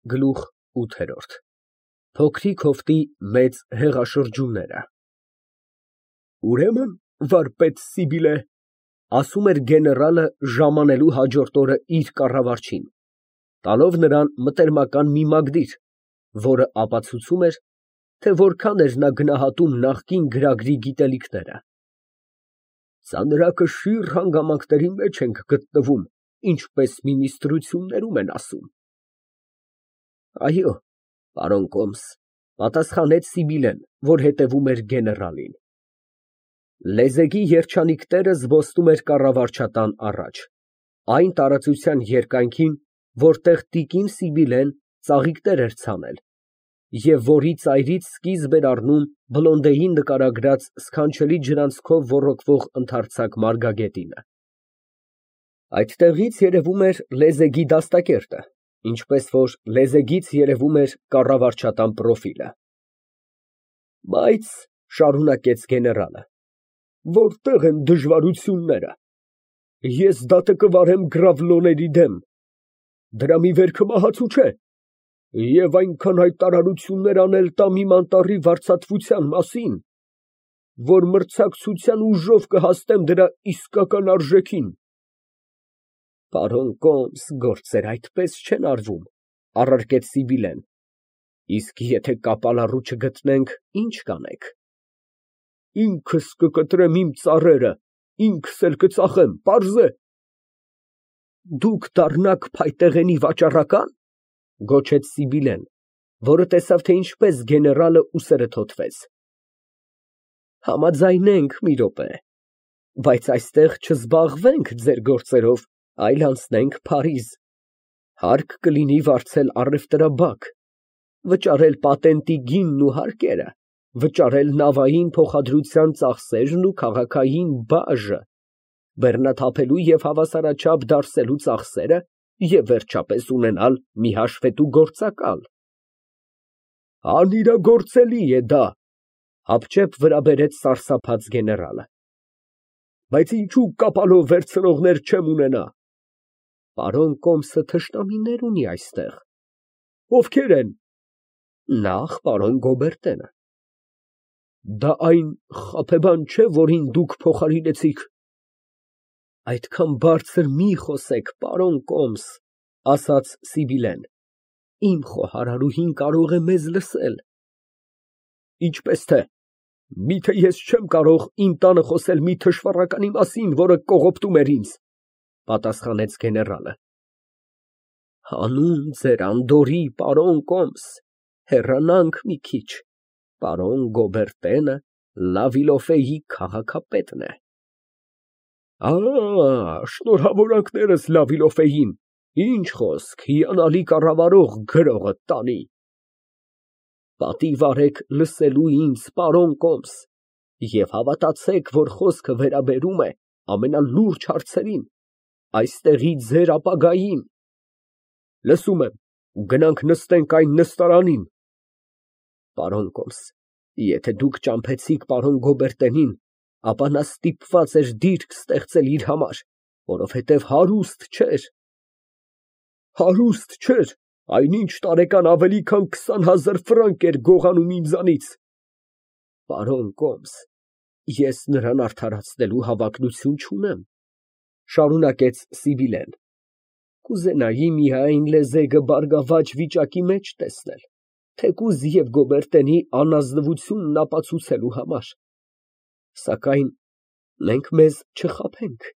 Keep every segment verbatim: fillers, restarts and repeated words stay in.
Գլուխ ութ Փոքրիկ հովտի մեծ հեղաշրջումները Ուրեմն, վարպետ Սիբիլե, ասում էր գեներալը ժամանելու հաջորդ օրը իր կառավարչին, տալով նրան մտերմական մի մագդիր, որը ապացուցում էր, թե որքան էր նա գնահատում նախկին գրագրի գիտելիքները, ծանրակշիռ հանգամանքների մեջ ենք գտնվում, ինչպես մինիստրություններում են ասում։ Այո, պարոն կոմս, պատասխանեց Սիբիլեն, որ հետևում էր գեներալին։ Լեզեգի երջանիկ տերը զբոսնում էր կառավարչատան առաջ, այն տարածության երկայնքին, որտեղ տիկին Սիբիլեն ծաղիկներ էր ցանել, և որի ծայրից սկիզբ էր առնում Բլոնդեի նկարագրած սքանչելի ջրանցքով ոռոգվող ընդարձակ մարգագետինը։ Այդտեղից երևում էր լեզեգի դաստակերտը, ինչպես որ լեզեգից երևում էր կառավարչատան պրոֆիլը։ Բայց, շարունակեց գեներալը, որտե՞ղ են դժվարությունները։ Ես դատը կվարեմ գրավլոների դեմ, դրա մի վերքը մահացու չէ, և այնքան հայտարարություններ անել տամ իմ անտառի վարձատրության մասին, որ մրցակցության ուժով կհասնեմ դրա իսկական արժեքին։ Պարոն կոմս, գործերը այդպես չեն արվում, առարկեց Սիբիլեն, իսկ եթե կապալառու չգտնենք, ի՞նչ կանեք։ Ինքս կկտրեմ իմ ծառերը, ինքս էլ կծախեմ, պարզ է։ Դուք դառնաք փայտեղենի վաճառակա՞ն, գոչեց Սիբիլեն, որը տեսավ, թե ինչպես գեներալը ուսերը թոթվեց։ Համաձայնենք մի րոպե, բայց այստեղ չզբաղվենք ձեր գործերով, այլ անցնենք Փարիզ, հարկ կլինի վարձել առևտրաբակ, վճարել պատենտի գինն ու հարկերը, վճարել նավային փոխադրության ծախսերն ու քաղաքային բաժը, բեռնաթափելու և հավասարաչափ դարսելու ծախսերը և վերջապես ունենալ մի հաշվետու գործակալ։ Անիրագործելի է դա, հապճեպ վրա բերեց սարսափած գեներալը։ Բայց ինչու կապալով վերցնողներ չեմ ունենա։ Պարոն կոմսը թշնամիներ ունի այստեղ։ Ովքեր են։ Նախ պարոն Գոբերտենը։ Դա այն խաբեբան չէ, որին դուք փոխարինեցիք։ Այդքան բարձր մի խոսեք, պարոն կոմս, ասաց Սիբիլեն, իմ խոհարարուհին կարող է մեզ լսել։ Ինչպես թե, միթե ես չեմ կարող իմ տանը խոսել մի թշվառականի մասին, որը կողոպտում էր ինձ, պատասխանեց գեներալը։ Հանուն ձեր անդորրի, պարոն կոմս, հեռանանք մի քիչ, պարոն Գոբերտենը Լավիլոֆեի քաղաքապետն է։ Ա, շնորհավորանքներս Լավիլոֆեին, ինչ խոսք, հիանալի կառավարող գրողը տանի։ Պատիվ արեք լսելու ինձ, պարոն կոմս, և հավատացեք, որ խոսքը վերաբերում է ամենալուրջ հարցերին, այստեղի ձեր ապագային։ Լսում եմ, գնանք նստենք այն նստարանին։ Պարոն կոմս, եթե դուք ճամփեցիք պարոն Գոբերտենին, ապա նա ստիպված էր դիրք ստեղծել իր համար, որովհետև հարուստ չէր։ Հարուստ չէր, այնինչ տարեկան ավելի քան քսան հազար ֆրանկ էր գողանում ինձանից։ Պարոն կոմս, ես նրան արդարացնելու հավակնություն չունեմ, շարունակեց Սիբիլեն, կուզենայի միայն լեզեգը բարգավաճ վիճակի մեջ տեսնել, թեկուզ և Գոբերտենի անազնվությունն ապացուցելու համար, սակայն մենք մեզ չխաբենք,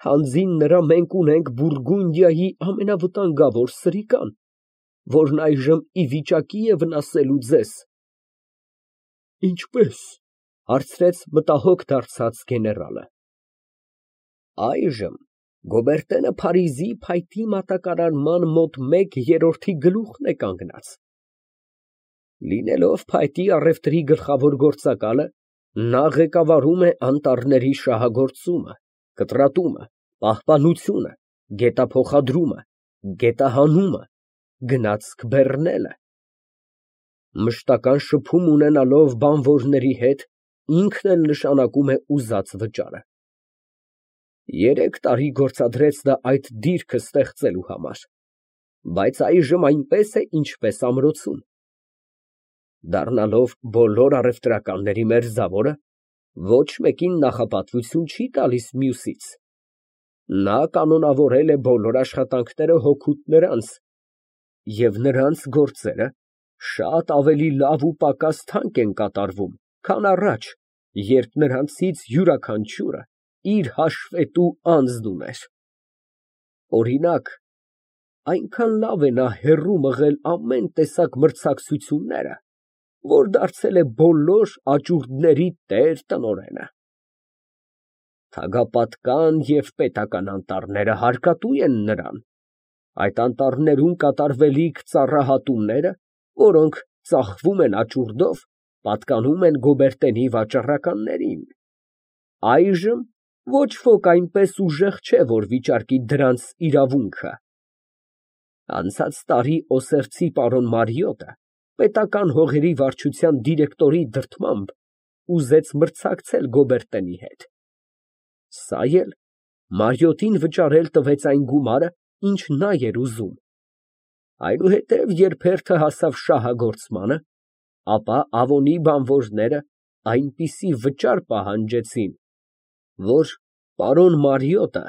հանձին նրա մենք ունենք Բուրգունդիայի ամենավտանգավոր սրիկան, որն այժմ ի վիճակի է վնասելու ձեզ։ Ինչպե՞ս, հարցրեց մտահոգ դարձած գեներալը։ Այժմ Գոբերտենը Փարիզի փայտի մատակարարման մոտ մեկ երրորդի գլուխն է կանգնած։ Լինելով փայտի առևտրի գլխավոր գործակալը, նա ղեկավարում է անտառների շահագործումը, կտրատումը, պահպանությունը, գետափոխադրումը, գետահանումը, գնացք բեռնելը։ Մշտական շփում ունենալով բանվորների հետ, ինքն էլ նշանակում է ուզած վճարը։ Երեք տարի գործադրեց նա այդ դիրքը ստեղծելու համար։ բայց այժմ այնպես է, ինչպես ամրոցում։ Դառնալով բոլոր առևտրականների մերձավորը, ոչ մեկին նախապատվություն չի տալիս մյուսից։ Նա կանոնավորել է բոլոր աշխատանքները հօգուտ նրանց, և նրանց գործերը շատ ավելի լավ ու պակաս թանկ են կատարվում, քան առաջ, երբ նրանցից յուրաքանչյուրը իր հաշվետու անձն ուներ։ Օրինակ, այնքան լավ է նա հեռու մղել ամեն տեսակ մրցակցությունները, որ դարձել է բոլոր աճուրդների տեր֊տնօրենը։ Թագապատկան և պետական անտառները հարկատու են նրան, այդ անտառներում կատարվելիք ծառահատումները, որոնք ծախվում են աճուրդով, պատկանում են Գոբերտենի վաճառականներին։ Այժմ ոչ ոք այնպես ուժեղ չէ, որ վիճարկի դրանց իրավունքը։ Անցած տարի Օսեղցի պարոն Մարիոտը պետական հողերի վարչության դիրեկտորի դրդմամբ ուզեց մրցակցել Գոբերտենի հետ։ Սա էլ Մարիոտին վճարել տվեց այն գումարը, ինչ նա էր ուզում։ Այնուհետև, երբ հերթը հասավ շահագործմանը, ապա Ավոնի բանվորները այնպիսի վճար պահանջեցին, որ պարոն Մարիոտը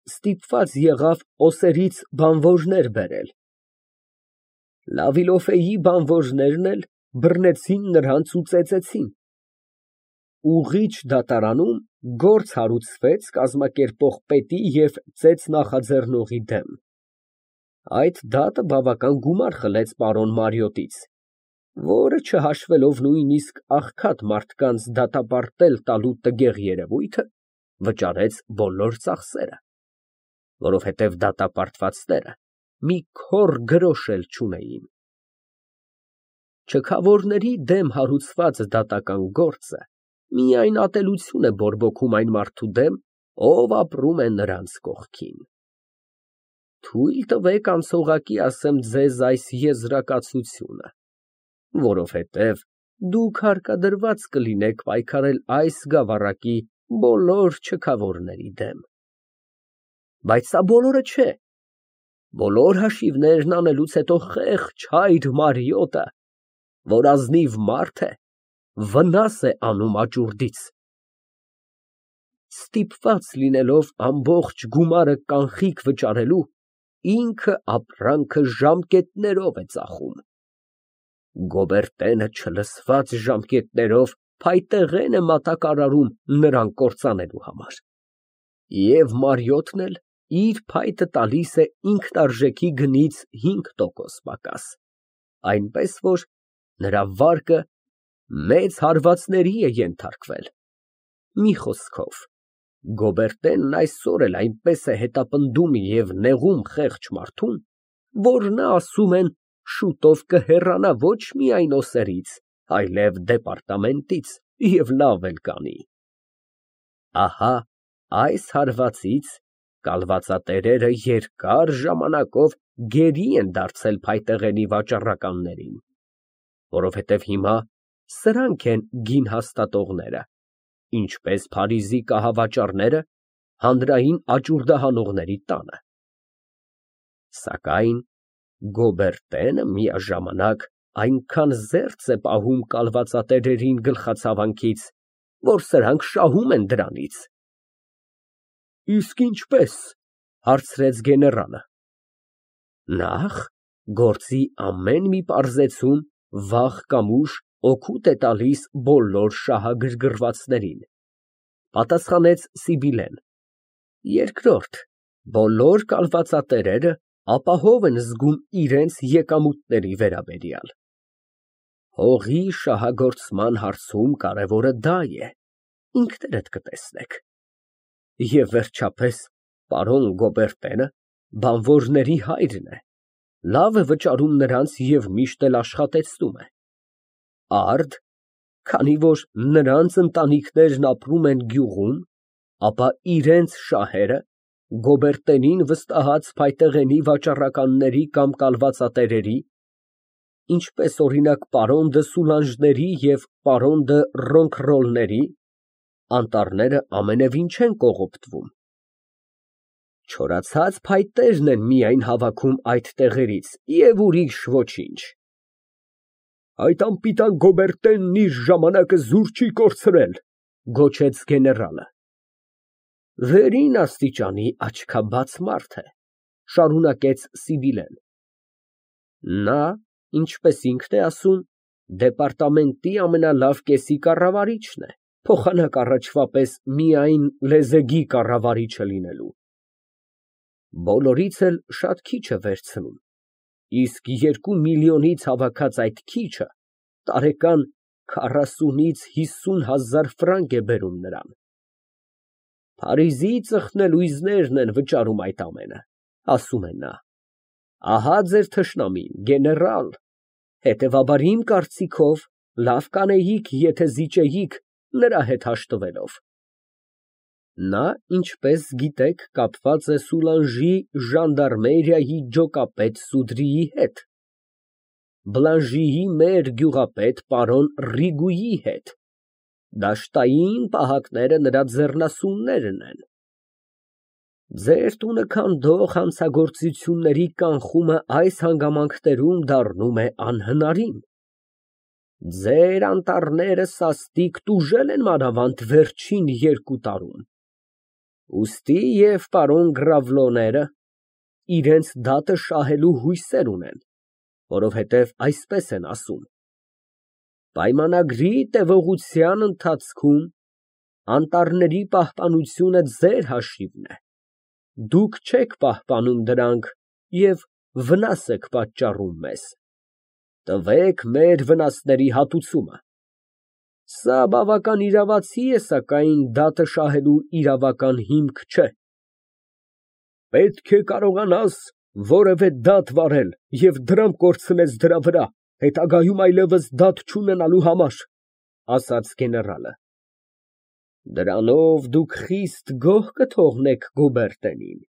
ստիպված եղավ Օսերից բանվորներ բերել։ Լավիլոֆեի բանվորներն էլ բռնեցին նրանց ու ծեծեցին։ Ուղիչ դատարանում գործ հարուցվեց կազմակերպող պետի և ծեծ նախաձեռնողի դեմ։ Այդ դատը բավական գումար խլեց պարոն Մարիոտից, որը, չհաշվելով նույնիսկ աղքատ մարդկանց դատապարտել տալու տգեղ երևույթը, վճարեց բոլոր ծախսերը, որովհետև դատապարտվածները մի քոռ գրոշ էլ չունեին։ Չքավորների դեմ հարուցված դատական գործը միայն ատելություն է բորբոքում այն մարդու դեմ, ով ապրում է նրանց կողքին։ Թույլ տվեք անցողակի ասեմ ձեզ այս եզրակացությունը, որովհետև դուք հարկադրված կլինեք պայքարել այս գավառակի բոլոր չքավորների դեմ։ Բայց սա բոլորը չէ։ Բոլոր հաշիվներն անելուց հետո խեղճ հայր Մարիոտը, որ ազնիվ մարդ է, վնաս է անում աճուրդից։ Ստիպված լինելով ամբողջ գումարը կանխիկ վճարելու, ինքը ապրանքը ժամկետներով է ծախում։ Գոբերտենը չլսված ժամկետներով փայտեղեն է մատակարարում նրան կործանելու համար։ Եվ Մարիոտն էլ իր փայտը տալիս է ինքնարժեքի գնից հինգ տոկոս պակաս, այնպես որ նրա վարկը մեծ հարվածների է ենթարկվել։ Մի խոսքով, Գոբերտենն այսօր էլ այնպես է հետապնդում և նեղում խեղճ մարդուն, որ նա, ասում են, շուտով կհեռանա ոչ միայն Օսերից, այլև դեպարտամենտից և լավ էլ կանի։ Ահա այս հարվածից կալվածատերերը երկար ժամանակով գերի են դարձել փայտեղենի վաճառականներին, որովհետև հիմա սրանք են գին հաստատողները, ինչպես Փարիզի կահավաճառները հանրային աճուրդահանողների տանը։ Սակայն Գոբերտենը միաժամանակ այնքան զերծ է պահում կալվածատերերին գլխացավանքից, որ սրանք շահում են դրանից։ Իսկ ինչպե՞ս, հարցրեց գեներալը։ Նախ, գործի ամեն մի պարզեցում վաղ կամ ուշ օգուտ է տալիս բոլոր շահագրգռվածներին, պատասխանեց Սիբիլեն։ Երկրորդ, բոլոր կալվածատերերը ապահով են զգում իրենց եկամուտների վերաբերյալ։ Հողի շահագործման հարցում կարևորը դա է, ինքներդ կտեսնեք։ Եվ վերջապես, պարոն Գոբերտենը բանվորների հայրն է, լավ է վճարում նրանց և միշտ էլ աշխատեցնում է։ Արդ, քանի որ նրանց ընտանիքներն ապրում են գյուղում, ապա իրենց շահերը Գոբերտենին վստահած փայտեղենի վաճառականների կամ կալվածատերերի, ինչպես օրինակ պարոն դը Սուլանժների և պարոն դը Ռոնքռոլների, անտառները ամենևին չեն կողոպտվում։ Չորացած փայտերն են միայն հավաքում այդ տեղերից և ուրիշ ոչինչ։ Այդ անպիտան Գոբերտենն իր ժամանակը զուր չի կորցրել, գոչեց գեներալը։ Վերին աստիճանի աչքաբաց մարդ է, շարունակեց Սիբիլեն։ Նա, ինչպես ինքն է ասում, դեպարտամենտի ամենալավ կեսի կառավարիչն է, փոխանակ առաջվա պես միայն լեզեգի կառավարիչը լինելու։ Բոլորից էլ շատ քիչ է վերցնում, իսկ երկու միլիոնից հավաքած այդ քիչը տարեկան քառասունից հիսուն հազար ֆրանկ է բերում նրան։ Փարիզի ծխնելույզներն են վճարում այդ ամենը, ասում է նա։ Ահա ձեր թշնամին, գեներալ, հետևաբար իմ կարծիքով լավ կանեիք, եթե զիջեիք նրա հետ հաշտվելով։ Նա, ինչպես գիտեք, կապված է Սուլանժի ժանդարմերիայի ջոկապետ Սուդրիի հետ, Բլանժիի մեր գյուղապետ պարոն Ռիգուի հետ, դաշտային պահակները նրա ձեռնասուններն են։ Ձեր տունը քանդող հանցագործությունների կանխումը այս հանգամանքներում դառնում է անհնարին։ Ձեր անտառները սաստիկ տուժել են մանավանդ վերջին երկու տարում։ Ուստի և պարոն Գրավլոները իրենց դատը շահելու հույսեր ունեն, որովհետև այսպես են ասում. պայմանագրի տևողության ընթացքում անտառների պահպանությունը ձեր հաշիվն է, դուք չեք պահպանում դրանք և վնաս եք պատճառում մեզ, տվեք մեր վնասների հատուցումը։ Սա բավական իրավացի է, սակայն դատը շահելու իրավական հիմք չէ։ Պետք է կարողանաս որևէ դատ վարել և դրամ կորցնես դրա վրա, հետագայում այլևս դատ չունենալու համար, ասաց գեներալը։ Դրանով դուք խիստ գոհ կթողնեք Գուբերտենին,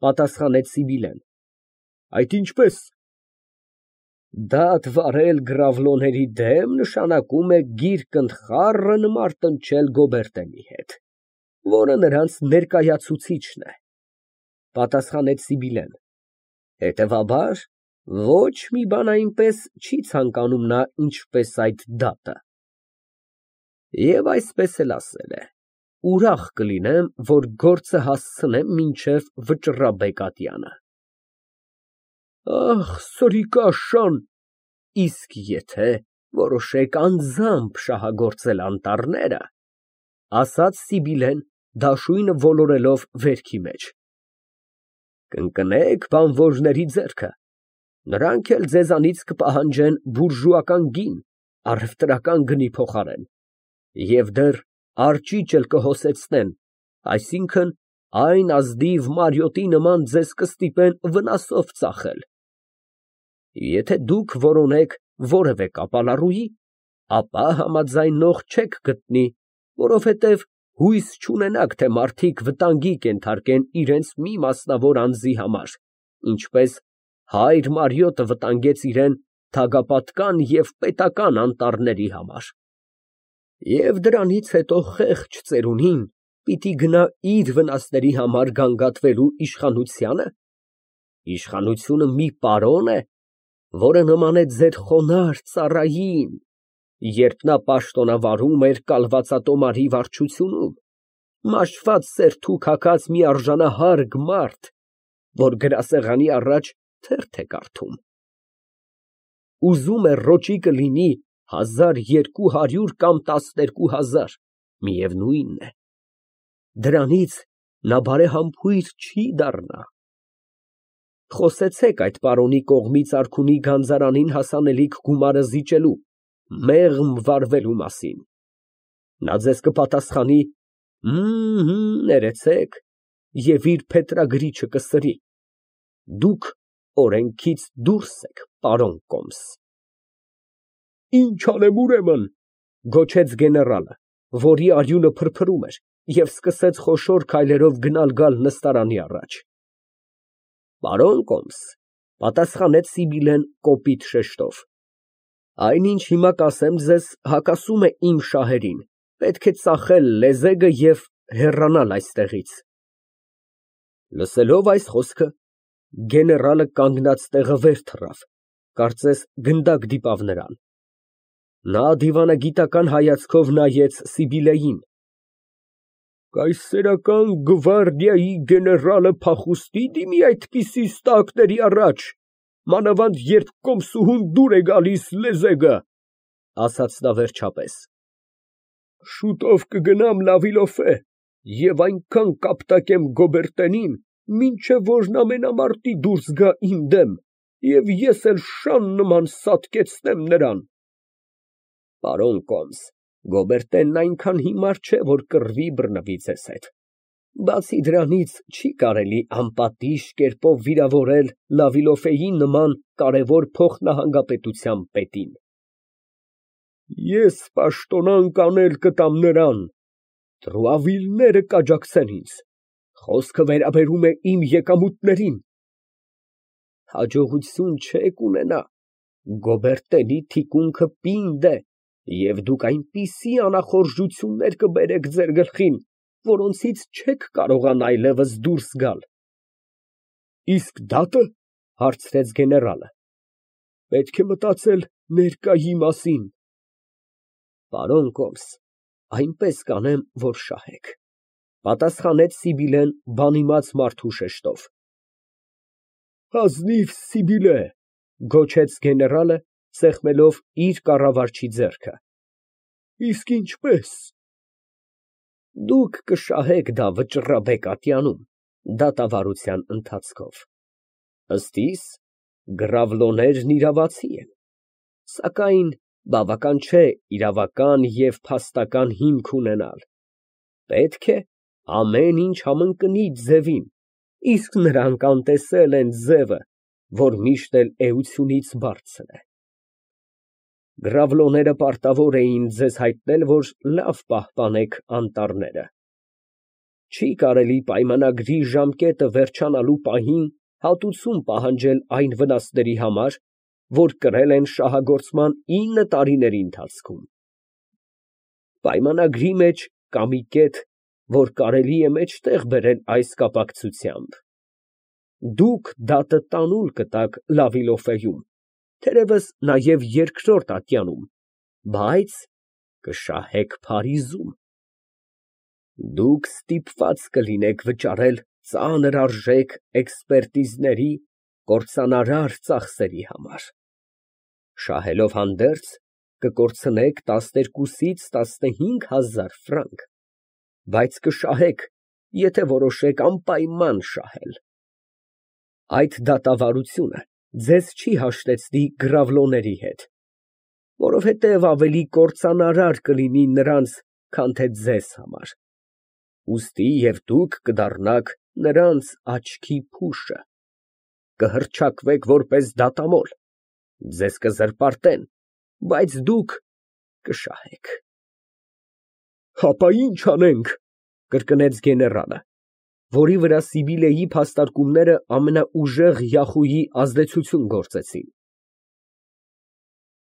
պատասխանեց Սիբիլեն։ Այդ ինչպես։ Դատ վարել Գրավլոների դեմ նշանակում է գիրկընթխառն մարտնչել Գոբերտենի հետ, որը նրանց ներկայացուցիչն է, պատասխանեց Սիբիլեն։ Հետևաբար, ոչ մի բան այնպես չի ցանկանում նա, ինչպես այդ դատը։ Եվ այսպես էլ ասել է. ուրախ կլինեմ, որ գործը հասցնեմ մինչև Վճռաբեկ ատյանը։ Ախ, սրիկաշան, իսկ եթե որոշեք անձամբ շահագործել անտառները, ասաց Սիբիլեն, դաշույնը ոլորելով վերքի մեջ, կընկնեք բանվորների ձեռքը, նրանք էլ ձեզանից կպահանջեն բուրժուական գին առևտրական գնի փոխարեն, և դեռ արջիճ էլ կհոսեցնեն, այսինքն այն ազնիվ մարիոտի նման ձեզ կստիպեն վնասով ծախել։ Եթե դուք որոնեք որևէ կապալառուի, ապա համաձայնող չեք գտնի, որովհետև հույս չունենաք, թե մարդիկ վտանգի կենթարկեն իրենց մի մասնավոր անձի համար, ինչպես հայր Մարիոտը վտանգեց իրան թագապատական և պետական անտառների համար։ Եվ դրանից հետո խեղճ ծերունին պիտի գնա իր վնասների համար գանգատվելու իշխանությա՞նը։ Իշխանությունը մի պարոն է, որը նման է ձեր խոնարհ ծառային, երբ նա պաշտոնավարում էր կալվածատոմարի վարչությունում, մաշված սերտուք հագած մի արժանահարգ մարդ, որ գրասեղանի առաջ թերթ է կարդում։ Ուզում է ռոճիկը լինի հազար երկու հարյուր կամ տասներկու հազար, միևնույնն է, դրանից նա բարեհամբույր չի դառնա։ Խոսեցեք այդ պարոնի կողմից արքունի գանձարանին հասանելիք գումարը զիջելու, մեղմ վարվելու մասին։ Նա ձեզ կպատասխանի. «Հըմ, ներեցեք» և իր փետրագրիչը կսրի։ Դուք օրենքից դուրս եք, պարոն Կոմս։ Ինչ անեմ, ուրեմն, գոչեց գեներալը, որի արյունը փրփրում էր, և սկսեց խոշոր քայլերով գնալ֊գալ նստարանի առաջ։ Պարոն Կոմս, պատասխանեց Սիբիլեն կոպիտ շեշտով, այնինչ հիմա կասեմ ձեզ, հակասում է իմ շահերին, պետք է ծախել լեզեգը և հեռանալ այստեղից։ Լսելով այս խոսքը, գեներալը կանգնած տեղը վեր թռավ, կարծես գնդակ դիպավ նրան։ Նա դիվանագիտական հայացքով նայեց Սիբիլեին։ Կայսերական գվարդիայի գեներալը փախուստի դիմի այդպիսի ստակների առաջ, մանավանդ երբ կոմսուհուն դուր է գալիս լեզեգը, ասաց նա վերջապես։ Շուտով կգնամ Լավիլոֆե և այնքան կապտակեմ Գոբերտենին, մինչև որ նա ամենամարտի դուրս գա իմ դեմ, և ես էլ շան նման սատկեցնեմ նրան։ Պարոն կոմս, Գոբերտենն այնքան հիմար չէ, որ կռվի բռնվի ձեզ հետ, բացի դրանից չի կարելի անպատիժ կերպով վիրավորել Լավիլոֆեի նման կարևոր փոխնահանգապետության պետին։ Ես պաշտոնանկ անել կտամ նրան, տրուավիլները կաջակցեն ինձ, խոսքը վերաբերում է իմ եկամուտներին։ Հաջողություն չեք ունենա, Գոբերտենի թիկունքը պինդ է, և դուք այնպիսի անախորժություններ կբերեք ձեր գլխին, որոնցից չեք կարողանա այլևս դուրս գալ։ Իսկ դատը, հարցրեց գեներալը, պետք է մտածել ներկայի մասին։ Պարոն կոմս, այնպես կանեմ, որ շահեք, պատասխանեց Սիբիլեն բանիմաց մարդու շեշտով։ Ազնիվ Սիբիլե, գոչեց գեներալը, սեղմելով իր կառավարչի ձեռքը։ Իսկ ինչպես։ Դուք կշահեք դա վճռաբեկ ատյանում, դատավարության ընթացքով։ Ըստ իս, գրավլոներն իրավացի են, սակայն բավական չէ իրավական և փաստական հիմք ունենալ, պետք է ամեն ինչ համընկնի ձևին, իսկ նրանք անտեսել են ձևը, որ միշտ էլ էությունից բարձր է։ Գրավլոները պարտավոր էին ձեզ հայտնել, որ լավ պահպանեք անտառները։ Չի կարելի պայմանագրի ժամկետը վերջանալու պահին հատուցում պահանջել այն վնասների համար, որ կրել են շահագործման ինը տարիների ընթացքում։ Պայմանագրի մեջ կա մի կետ, որ կարելի է մեջտեղ բերել այս կապակցությամբ։ Դուք դատը տանուլ կտաք Լավիլոֆեում, թերևս նաև երկրորդ ատյանում, բայց կշահեք Փարիզում։ Դուք ստիպված կլինեք վճարել ծանր արժեք էքսպերտիզների, կործանարար ծախսերի համար։ Շահելով հանդերձ, կկորցնեք տասներկուսից տասնհինգ հազար ֆրանկ, բայց կշահեք, եթե որոշեք անպայման շահել։ Այդ դատավարությունը ձեզ չի հաշտեցնի գրավլոների հետ, որովհետև ավելի կործանարար կլինի նրանց, քան թե ձեզ համար, ուստի և դուք կդառնաք նրանց աչքի փուշը, կհռչակվեք որպես դատամոլ, ձեզ կզրպարտեն, բայց դուք կշահեք։ Հապա ի՞նչ անենք, կրկնեց գեներալը, որի վրա Սիբիլեի փաստարկումները ամենաուժեղ յախուի ազդեցություն գործեցին։